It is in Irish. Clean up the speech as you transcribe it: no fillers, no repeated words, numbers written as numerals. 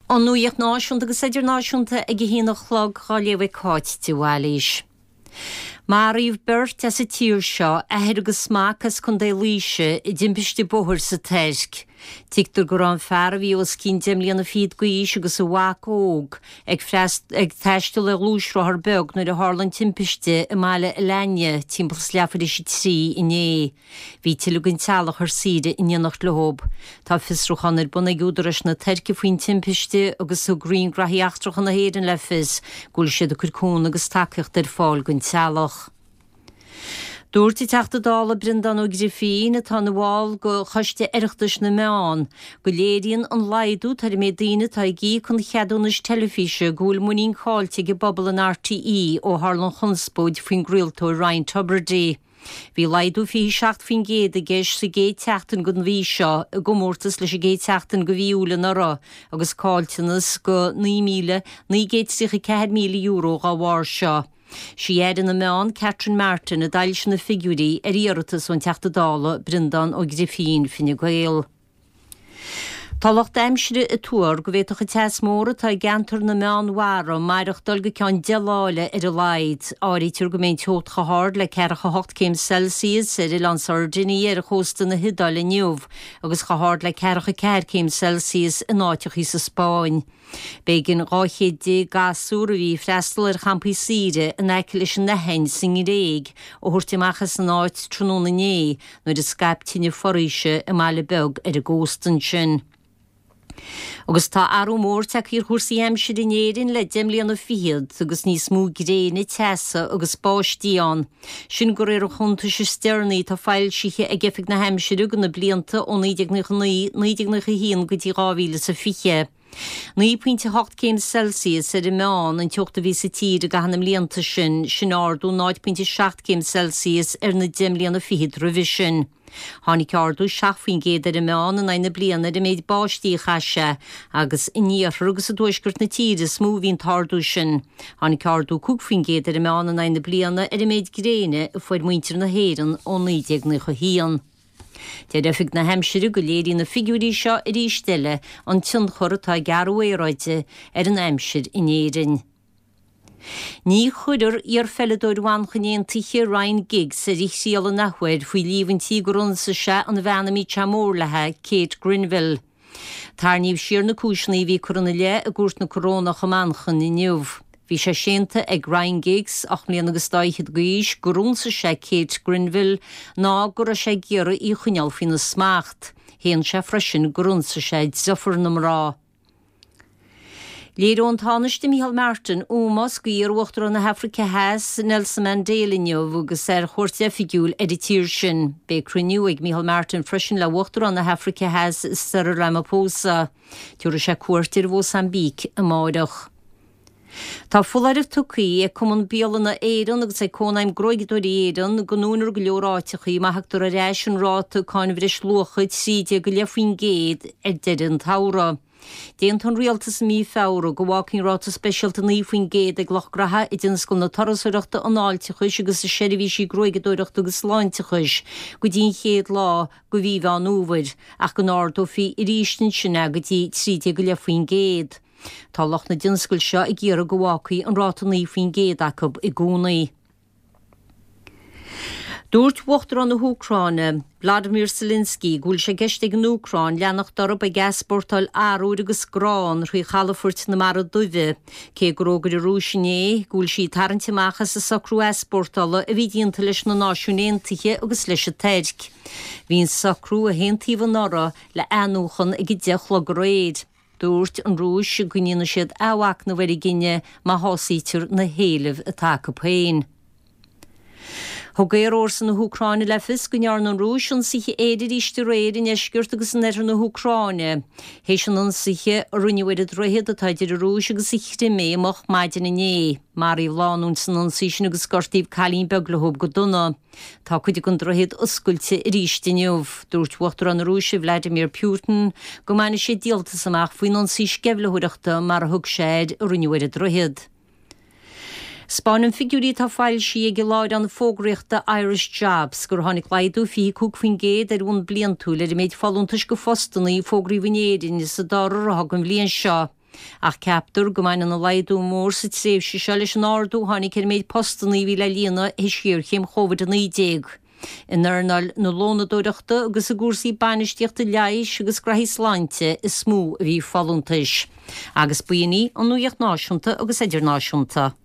An nuacht náisiúnta agus idirnáisiúnta ag a haon a chlog dhá léamh ag Cáit de Bhailís. Maraíodh beirt as an tír seo, athair agus mac as Contae Laoise, i dtimpiste bóthair sa Tuirc. Tuigtear go raibh an fear a bhí os cionn deich mbliana fichead d'aois agus a mhac óg ag ag taisteal ar ghluaisrothar beag nuair a tharla an timpiste i mbaile Alanya timpeall is leathuair tar éis a 3 inné. Bhí tuilleadh den teaghlach ar saoire in éineacht leo. Tá fiosrúchán ar bun ag údaráis na Tuirce faoin timpiste agus thug Roinn Graithí Eachtracha na hÉireann le fios go bhfuil siad ag cur cúnamh agus tacaíocht ar fáil don teaghlach. Dúirt an Teachta Dála Breandán Ó Grifín, atá ina bhall de Choiste Oireachtais na Meán, go léiríonn an laghdú atá ar an méid daoine atá ag íoc an cheadúnais teilifíse go bhfuil muinín caillte ag an bpobal in RTÉ ó tharla an chonspóid faoin gcraoltóir Ryan Tubridy. Bhí laghdú 27% i gceist sa gcéad tseachtain den mhí seo i gcomórtas leis an gcéad tseachtain de mhí Iúil anuraidh agus caillteanas de €9,934,000 dá bharr seo. Sí Aire na Meán, Catherine Martin, a d'fhoilsigh na figiúirí ar iarratas ón Teachta Dála Breandán Ó Grifín, Fine Gael. Tá lucht aimsire ag tuar go bhféadfadh an teas mór atá i gceantar na Meánmhara maireachtáil go ceann 10 lá eile ar a laghad. Áirítear go mbeidh an teocht chomh hard le 48 céim Celsius ar oileán Sardinia ar chósta na hIodáile inniu agus chomh hard le 44 céim Celsius in áiteachaí sa Spáinn. B'éigean 12 chéad gasúr a bhí ag freastal ar champaí saoire in aice leis an Aithin sa nGréig a thabhairt amach as an áit tráthnóna inné nuair a scaip tine foraoise i mbaile beag ar an gcósta ansin. Agus tá athrú mór tagtha ar chúrsaí aimsire in Éirinn le deich mbliana fichead agus níos mó gréine, teasa agus báistí ann. Sin de réir an chuntais is deireanaí atá foilsithe ag Oifig na hAimsire do na blianta ó 1999, 1991 go dtí 2020. 9.8 céim Celsius ar an meán an teocht a bhí sa tír i gcaitheamh na mblianta sin, sin ardú 0.7 céim Celsius ar na deich mbliana fichead roimhe sin. Tháinig ardú 7% ar an meán in aghaidh na bliana ar an méid báistí a chaith sé, agus in iarthar agus i dtuaisceart na tíre is mó a bhí an t-ardú sin. Tháinig ardú 5% ar an meán in aghaidh na bliana ar an méid gréine a fuair muintir na hÉireann ó 1991. Deir Oifig na hAimsire go léiríonn na figiúirí seo arís eile an tionchar atá ag athrú aeráide ar an aimsir in Éirinn. Ní chuirfear iarpheileadóir Mhanchain Aontaithe Ryan Giggs ar a thriail an athuair faoi líomhaintí gur ionsaigh sé an bhean a mbíodh sé mór léi, Kate Grenville. Tarraingíodh siar na cúiseanna a bhí curtha ina leith i gCúirt na Corónach i Manchain inniu. Bhí sé séanta ag Ryan Giggs, 8 mbliana agus dá fhichead d'aois, gur ionsaigh sé Kate Grenville ná go raibh sé ag iarraidh í a choinneáil faoina smacht. Shéan sé freisin gur ionsaigh sé deirfiúr na mná. Léireoidh an Tánaiste Micheál Martin ómós do iar-Uachtarán na hAfraice Theas, Nelson Mandela inniu agus é ar chuairt oifigiúil ar an tír sin. Beidh cruinniú ag Micheál Martin freisin le Uachtarán na hAfraice Theas, Cyril Ramaphosa. Tabharfaidh sé cuairt ar Mhósaimbíc amáireach. Tá foláireamh tugtha ag Cumann Bialanna Éireann agus ag Cónaidhm Gruaigeadóirí Éireann go ndúnfar go leor áiteachaí má thugtar ar ais an ráta cáin bhreisluacha 13.5% ar deireadh an tsamhraidh. D'aontaigh an Rialtas i mí Feabhra go bhfágfaí an ráta speisialta 9% ag lucht graithe i dtionscal na turasóireachta, an fháilteachais agus i seirbhísí gruaigeadóireachta agus sláinteachais go dtí an chéad lá de mhí Mheán Fhómhair, ach go n-ardófaí arís ansin é go dtí 13.5%. Tá lucht na dtionscal seo ag iarraidh go bhfágfaí an ráta 9% acu i gcónaí. Dúirt Uachtarán na hÚcráine, Vladimir Zelensky, go bhfuil sé i gceist ag an Úcráin leanacht orthu ag easpórtáil arbhair agus grán thrí chalafoirt na Mara Duibhe, cé gur fhógair an Rúis inné go bhfuil sí ag tarraingt amach as an socrú easpórtála a bhí déanta leis na Náisiúin Aontaithe agus leis an Tuirc. Bhí an socrú, a haontaíodh anuraidh, le athnuachan ag 10 a chlog aréir. Dúirt an Rúis go ndéanfaidh siad athmhachnamh ar a gcinneadh má shásaítear na héilimh atá acu féin. Thug aerfhórsa na hÚcráine le fios go ndearna an Rúis ionsaithe aeir arís aréir i ndeisceart agus in oirthear na hÚcráine, théis an ionsaithe a rinneadh ar an droichead atá idir an Rúis agus an Chrimé moch maidin inné. Maraíodh lánúin san ionsaí sin agus gortaíodh cailín beag leo go dona. Tá cuid den droichead oscailte arís inniu. Dúirt Uachtarán na Rúise Vladimir Putin go mbainfidh sé díoltas amach faoin ionsaí sceimhlitheoireachta, mar a thug sé air, a rinneadh ar an droichead. 'Spáineann figiúirí atá foilsithe ag an láithreán fógraíochta Irish Jobs gur tháinig laghdú 25% ar bhonn bliantúil ar an méid folúntais go phostanna a fógraíodh in Éirinn sa dara ráithe den bhliain seo. Ach ceaptar go mbaineann an laghdú mór sa tréimhse seo leis an ardú a tháinig ar an méid postanna a bhí le líonadh théis ghéarchéim Covid-19. In earnáil na lónadóireachta agus i gcúrsaí bainistíochta leighis agus graithí sláinte is mó a bhí folúntais. Agus b'in í an nuacht náisiúnta agus idirnáisiúnta.